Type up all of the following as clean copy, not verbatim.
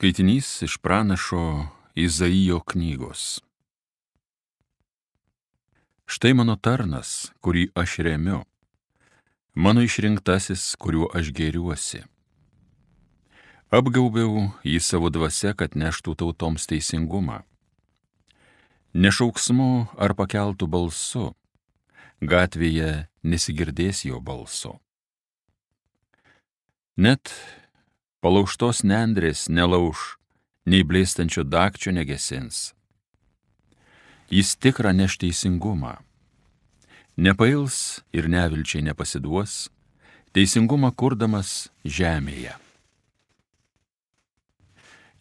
Skaitinys iš pranašo Izaijo knygos. Štai mano tarnas, kurį aš remiu, mano išrinktasis, kuriuo aš gėriuosi. Apgaubiau jį savo dvasia, kad neštų tautoms teisingumą. Ne šauksmu ar pakeltų balsu, gatvėje nesigirdės jo balso. Net palaužtos nendrės nelauš, nei blėstančio dagčio negesins. Jis tikrą neš teisingumą. Nepails ir nevilčiai nepasiduos, teisingumą kurdamas žemėje.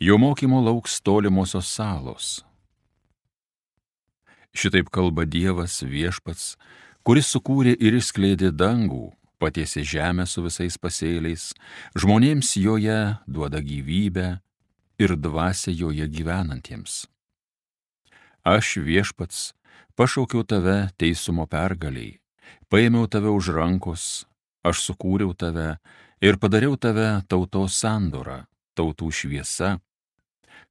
Jo mokymo lauks tolimosios salos. Šitaip kalba Dievas viešpats, kuris sukūrė ir išskleidė dangų, patiesė žemę su visais pasėliais, žmonėms joje duoda gyvybę ir dvasią joje gyvenantiems. Aš viešpats pašaukiau tave teisumo pergaliai, paėmiau tave už rankos, aš sukūriau tave ir padariau tave tautos sandora, tautų šviesa,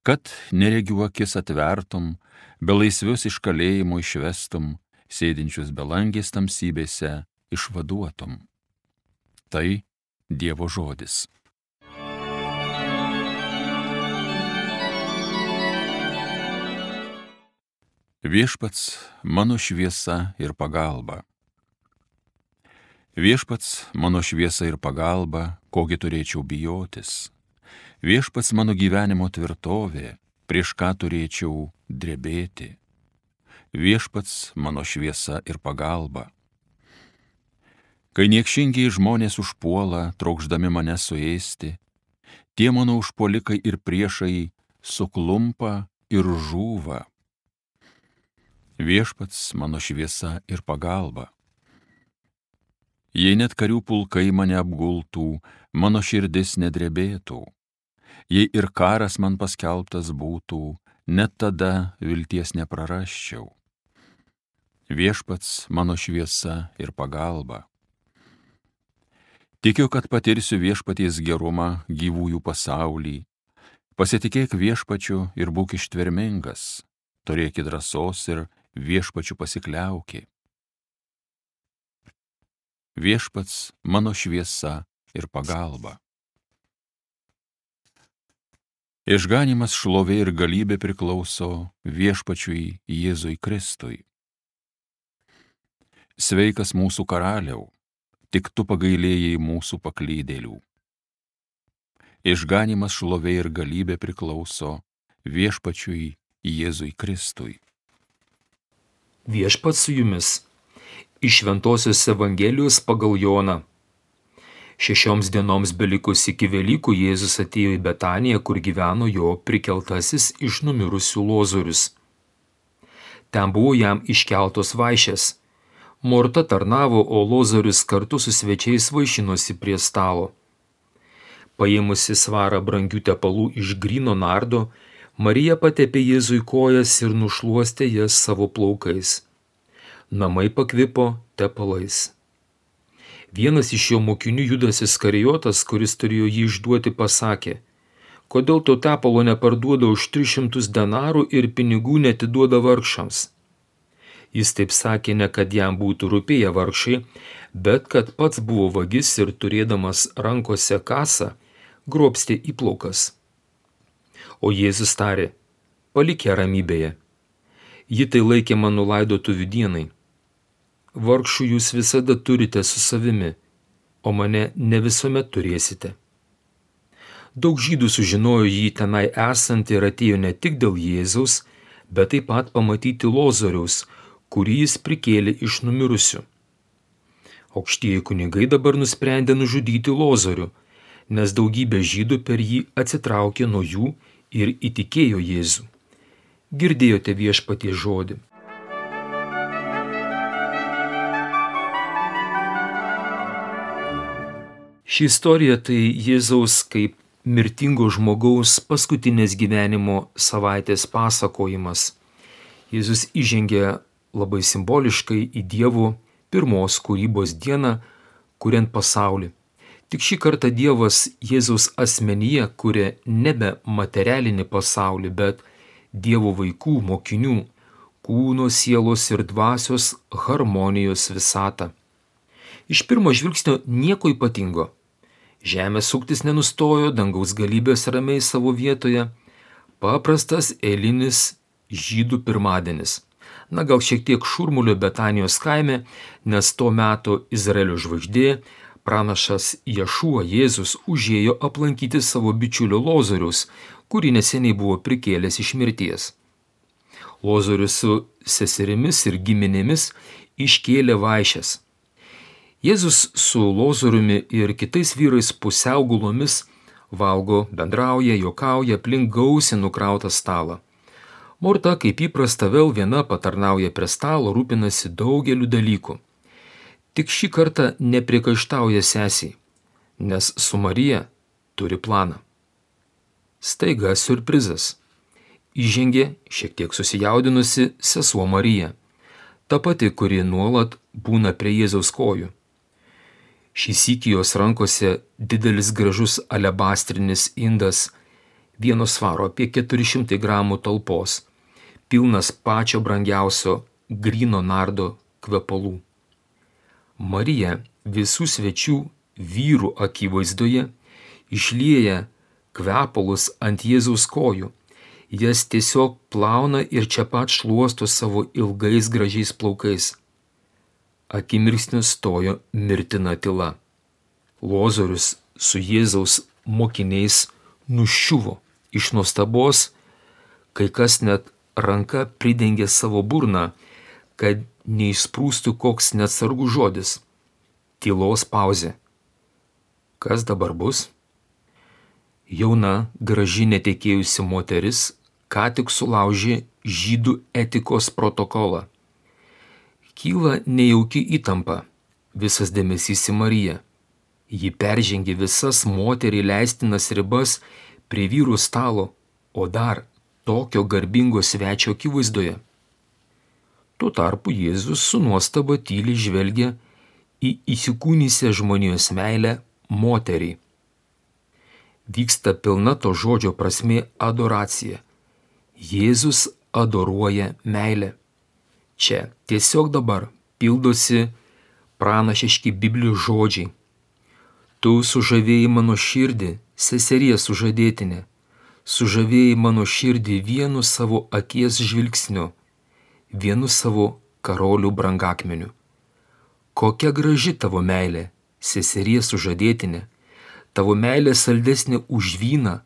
kad neregių akis atvertum, belaisvius iš kalėjimo išvestum, sėdinčius belangės tamsybėse išvaduotum. Tai Dievo žodis. Viešpats mano šviesa ir pagalba. Viešpats mano šviesa ir pagalba, kogi turėčiau bijotis. Viešpats mano gyvenimo tvirtovė, prieš ką turėčiau drebėti. Viešpats mano šviesa ir pagalba. Kai niekšingiai žmonės užpuola, trokšdami mane suėsti, tie mano užpuolikai ir priešai suklumpa ir žūva. Viešpats mano šviesa ir pagalba. Jei net karių pulkai mane apgultų, mano širdis nedrebėtų. Jei ir karas man paskelbtas būtų, net tada vilties neprarasčiau. Viešpats mano šviesa ir pagalba. Tikiu, kad patirsiu viešpaties gerumą gyvųjų pasaulį. Pasitikėk viešpačiu ir būk ištvermingas. Turėk drąsos ir viešpačiu pasikliauki. Viešpats mano šviesa ir pagalba. Išganymas, šlovė ir galybė priklauso viešpačiui Jėzui Kristui. Sveikas mūsų karaliau, tik tu pagailėjai mūsų paklydėlių. Išganymas, šlovė ir galybė priklauso viešpačiui Jėzui Kristui. Viešpats su jumis. Iš Šventosios Evangelijos pagal Joną. 6 dienoms belikus iki Velykų Jėzus atėjo į Betaniją, kur gyveno jo prikeltasis iš numirusių Lozorius. Ten buvo jam iškeltos vaišės. Morta tarnavo, o Lozorius kartu su svečiais vaišinosi prie stalo. Paėmusi svarą brangių tepalų iš gryno nardo, Marija patepė Jėzui kojas ir nušluostė jas savo plaukais. Namai pakvipo tepalais. Vienas iš jo mokinių, Judas Iskarijotas, kuris turėjo jį išduoti, pasakė: kodėl to tepalo neparduoda už 300 denarų ir pinigų neatiduoda vargšams? Jis taip sakė ne kad jam būtų rūpėję vargšai, bet kad pats buvo vagis ir turėdamas rankose kasą, grobstė įplaukas. O Jėzus tarė: palik ją ramybėje. Ji tai laikė mano laidotuvių dienai. Vargšų jūs visada turite su savimi, o mane ne visuomet turėsite. Daug žydų sužinojo jį tenai esant ir atėjo ne tik dėl Jėzaus, bet taip pat pamatyti Lozoriaus, kurį jis prikėlė iš numirusių. Aukštieji kunigai dabar nusprendė nužudyti Lozorių, nes daugybė žydų per jį atsitraukė nuo jų ir įtikėjo Jėzų. Girdėjote viešpaties žodį. Ši istorija tai Jėzaus kaip mirtingo žmogaus paskutinės gyvenimo savaitės pasakojimas. Jėzus įžengė labai simboliškai į Dievo pirmos kūrybos dieną, kuriant pasaulį. Tik šį kartą Dievas Jėzaus asmenyje kuria nebe materialinį pasaulį, bet Dievo vaikų, mokinių, kūno, sielos ir dvasios harmonijos visatą. Iš pirmo žvilgsnio nieko ypatingo. Žemė suktis nenustojo, dangaus galybės ramiai savo vietoje. Paprastas eilinis žydų pirmadienis. Na gal šiek tiek šurmulio Betanijos kaime, nes to meto Izraelio žvaigždė, pranašas Ješua Jėzus užėjo aplankyti savo bičiulio Lozoriaus, kurį neseniai buvo prikėlęs iš mirties. Lozorius su seserimis ir giminėmis iškėlė vaišes. Jėzus su Lozoriumi ir kitais vyrais pusiau gulomis valgo, bendrauja, juokauja aplink gausiai nukrautą stalą. Morta, kaip įprasta, vėl viena patarnauja prie stalo, rūpinasi daugeliu dalykų. Tik šį kartą nepriekaištauja sesiai, nes su Marija turi planą. Staiga siurprizas. Įžengė šiek tiek susijaudinusi sesuo Marija, ta pati, kuri nuolat būna prie Jėzaus kojų. Šį sykį jos rankose didelis gražus alebastrinis indas, 1 svaro apie 400 gramų talpos, pilnas pačio brangiausio gryno nardo kvepalų. Marija visų svečių vyrų akivaizdoje išlieja kvepalus ant Jėzaus kojų, jas tiesiog plauna ir čia pat šluosto savo ilgais gražiais plaukais. Akimirksniu stojo mirtina tyla. Lozorius su Jėzaus mokiniais nuščiuvo iš nuostabos, kai kas net ranka pridengė savo burną, kad neišsprūstų koks neatsargus žodis. Tylos pauzė. Kas dabar bus? Jauna, graži netekėjusi moteris ką tik sulaužė žydų etikos protokolą. Kyla nejauki įtampa, visas dėmesys į Mariją. Ji peržengė visas moteriai leistinas ribas prie vyrų stalo, o dar tokio garbingo svečio akivaizdoje. Tuo tarpu Jėzus su nuostaba tyliai žvelgia į įsikūnysią žmonijos meilę moteriai. Vyksta pilna to žodžio prasmė adoracija. Jėzus adoruoja meilę. Čia tiesiog dabar pildosi pranašiški Biblijos žodžiai. Tu sužavėjai mano širdį, seserie sužadėtinė, sužavėjai mano širdį vienu savo akies žvilgsniu, vienu savo karolių brangakmeniu. Kokia graži tavo meilė, seserie sužadėtinė, tavo meilė saldesnė už vyną,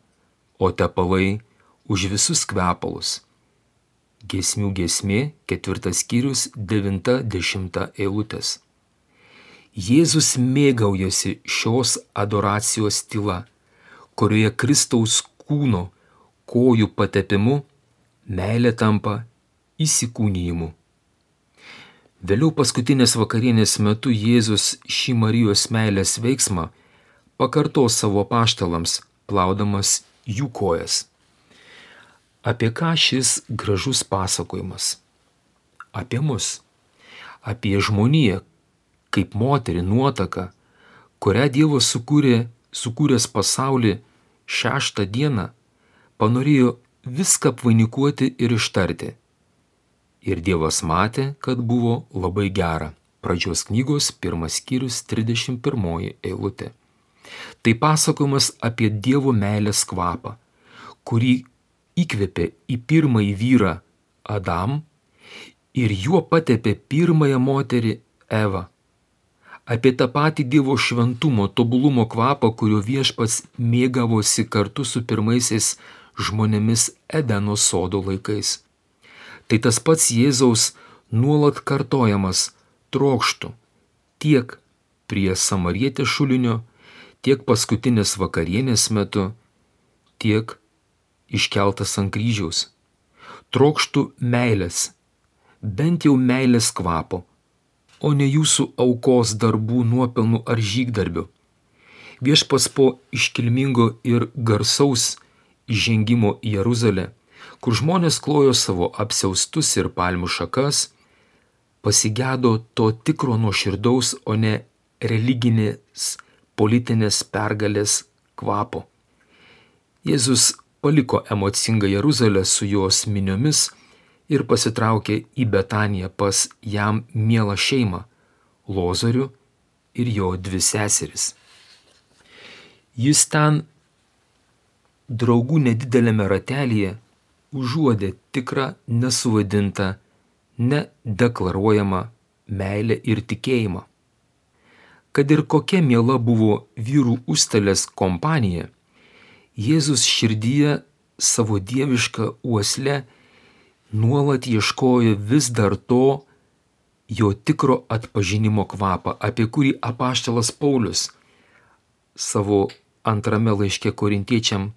o tepalai už visus kvepalus. Giesmių giesmė, 4 skyrius, 9-10 eilutės. Jėzus mėgaujasi šios adoracijos tyla, kurioje Kristaus kūno kojų patepimu meilė tampa įsikūnijimu. Vėliau paskutinės vakarienės metu Jėzus šį Marijos meilės veiksmą pakartos savo apaštalams, plaudamas jų kojas. Apie ką šis gražus pasakojimas? Apie mus. Apie žmoniją, kaip moterį nuotaką, kurią Dievas sukūręs pasaulį 6 dieną, panorėjo viską apvainikuoti ir ištarti. Ir Dievas matė, kad buvo labai gera. Pradžios knygos 1 skyrius 31 eilutė. Tai pasakojimas apie Dievo meilės kvapą, kurį įkvėpė į pirmąjį vyrą Adam ir juo patepė pirmąją moterį Evą. Apie tą patį Dievo šventumo, tobulumo kvapą, kurio Viešpats mėgavosi kartu su pirmaisiais žmonėmis Edeno sodo laikais. Tai tas pats Jėzaus nuolat kartojamas trokštų tiek prie samarietės šulinio, tiek paskutinės vakarienės metu, tiek iškeltas ant kryžiaus. Trokštų meilės, bent jau meilės kvapo, o ne jūsų aukos darbų, nuopelnų ar žygdarbių. Viešpats po iškilmingo ir garsaus įžengimo į Jeruzalę, kur žmonės klojo savo apsiaustus ir palmių šakas, pasigedo to tikro nuoširdaus, o ne religinės politinės pergalės kvapo. Jėzus paliko emocingą Jeruzalę su jos miniomis ir pasitraukė į Betaniją pas jam mielą šeimą - Lozorių ir jo 2 seseris. Jis ten draugų nedidelėme ratelyje užuodė tikrą, nesuvadintą, nedeklaruojamą meilę ir tikėjimą. Kad ir kokia miela buvo vyrų užstalės kompanija, Jėzus širdyje savo dievišką uoslę nuolat ieškojo vis dar to jo tikro atpažinimo kvapą, apie kurį apaštalas Paulius savo 2 laiške Korintiečiam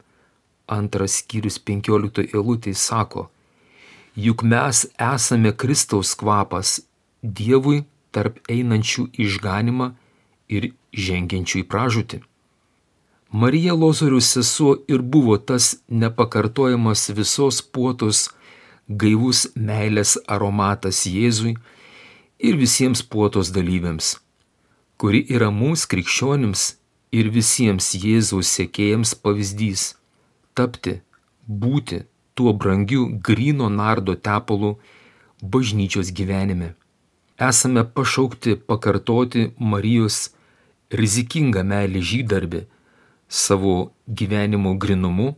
2 skyrius 15 eilutėje sako: juk mes esame Kristaus kvapas Dievui tarp einančių į išganymą ir žengiančių į pražūtį. Marija Lozoriaus sesuo ir buvo tas nepakartojamas visos puotos gaivus meilės aromatas Jėzui ir visiems puotos dalyviams, kuri yra mums krikščionims ir visiems Jėzaus sekėjams pavyzdys tapti, būti tuo brangiu gryno nardo tepalu bažnyčios gyvenime. Esame pašaukti pakartoti Marijos rizikingą meilę žygdarbį savo gyvenimo grynumu,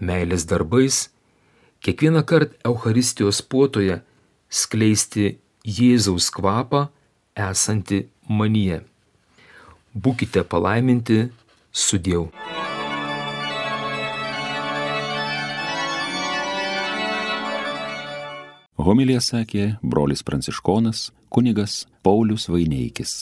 meilės darbais, kiekvieną kartą Eucharistijos puotoje skleisti Jėzaus kvapą esantį manyje. Būkite palaiminti, sudieu. Homiliją sakė brolis pranciškonas kunigas Paulius Vaineikis.